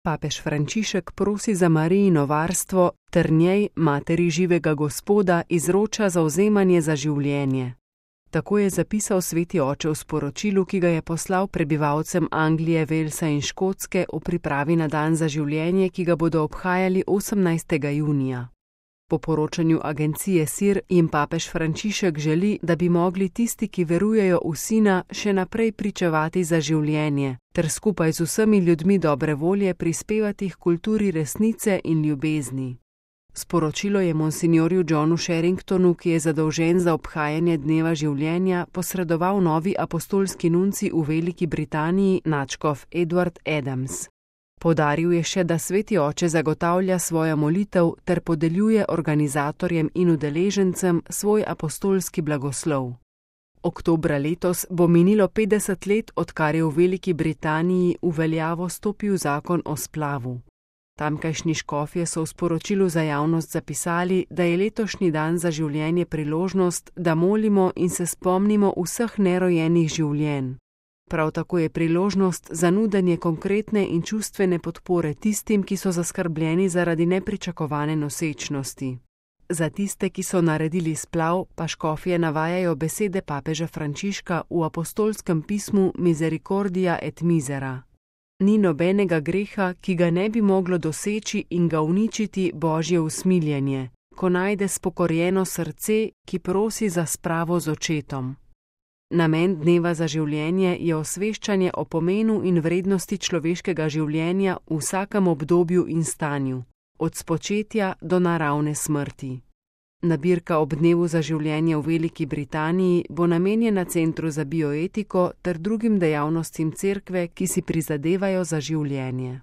Papež Frančišek prosi za Marijino varstvo ter njej, materi živega Gospoda, izroča zavzemanje za življenje. Tako je zapisal sveti oče v sporočilu, ki ga je poslal prebivalcem Anglije, Walesa in Škotske v pripravi na dan za življenje, ki ga bodo obhajali 18. junija. Po poročanju agencije SIR jim papež Frančišek želi, da bi mogli tisti, ki verujejo v Sina, še naprej pričevati za življenje, ter skupaj z vsemi ljudmi dobre volje prispevati k kulturi resnice in ljubezni. Sporočilo je monsinjorju Johnu Sherringtonu, ki je zadolžen za obhajanje dneva življenja, posredoval novi apostolski nunci v Veliki Britaniji, nadškof Edward Adams. Poudaril je še, da sveti oče zagotavlja svojo molitev ter podeljuje organizatorjem in udeležencem svoj apostolski blagoslov. Oktobra letos bo minilo 50 let, odkar je v Veliki Britaniji v veljavo stopil zakon o splavu. Tamkajšnji škofje so v sporočilu za javnost zapisali, da je letošnji dan za življenje priložnost, da molimo in se spomnimo vseh nerojenih življenj. Prav tako je priložnost za nudenje konkretne in čustvene podpore tistim, ki so zaskrbljeni zaradi nepričakovane nosečnosti. Za tiste, ki so naredili splav, pa škofje navajajo besede papeža Frančiška v apostolskem pismu Misericordia et Misera. Ni nobenega greha, ki ga ne bi moglo doseči in ga uničiti Božje usmiljenje, ko najde spokorjeno srce, ki prosi za spravo z očetom. Namen dneva za življenje je osveščanje o pomenu in vrednosti človeškega življenja v vsakem obdobju in stanju, od spočetja do naravne smrti. Nabirka ob dnevu za življenje v Veliki Britaniji bo namenjena Centru za bioetiko ter drugim dejavnostim cerkve, ki si prizadevajo za življenje.